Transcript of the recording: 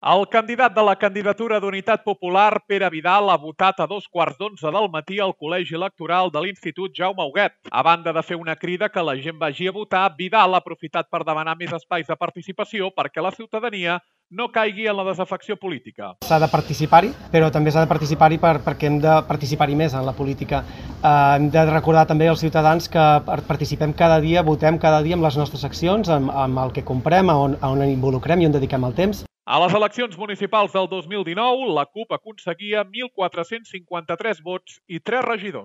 El candidat de la candidatura d'Unitat Popular, Pere Vidal, ha votat a 2:15 del matí al col·legi electoral de l'Institut Jaume Huguet. A banda de fer una crida que la gent vagi a votar, Vidal ha aprofitat per demanar més espais de participació perquè la ciutadania no caigui en la desafecció política. S'ha de participar-hi, però també s'ha de participar-hi perquè hem de participar-hi més en la política. Hem de recordar també als ciutadans que participem cada dia, votem cada dia amb les nostres accions, amb el que comprem, on involucrem i on dediquem el temps. A les eleccions municipals del 2019, la CUP aconseguia 1.453 vots i 3 regidors.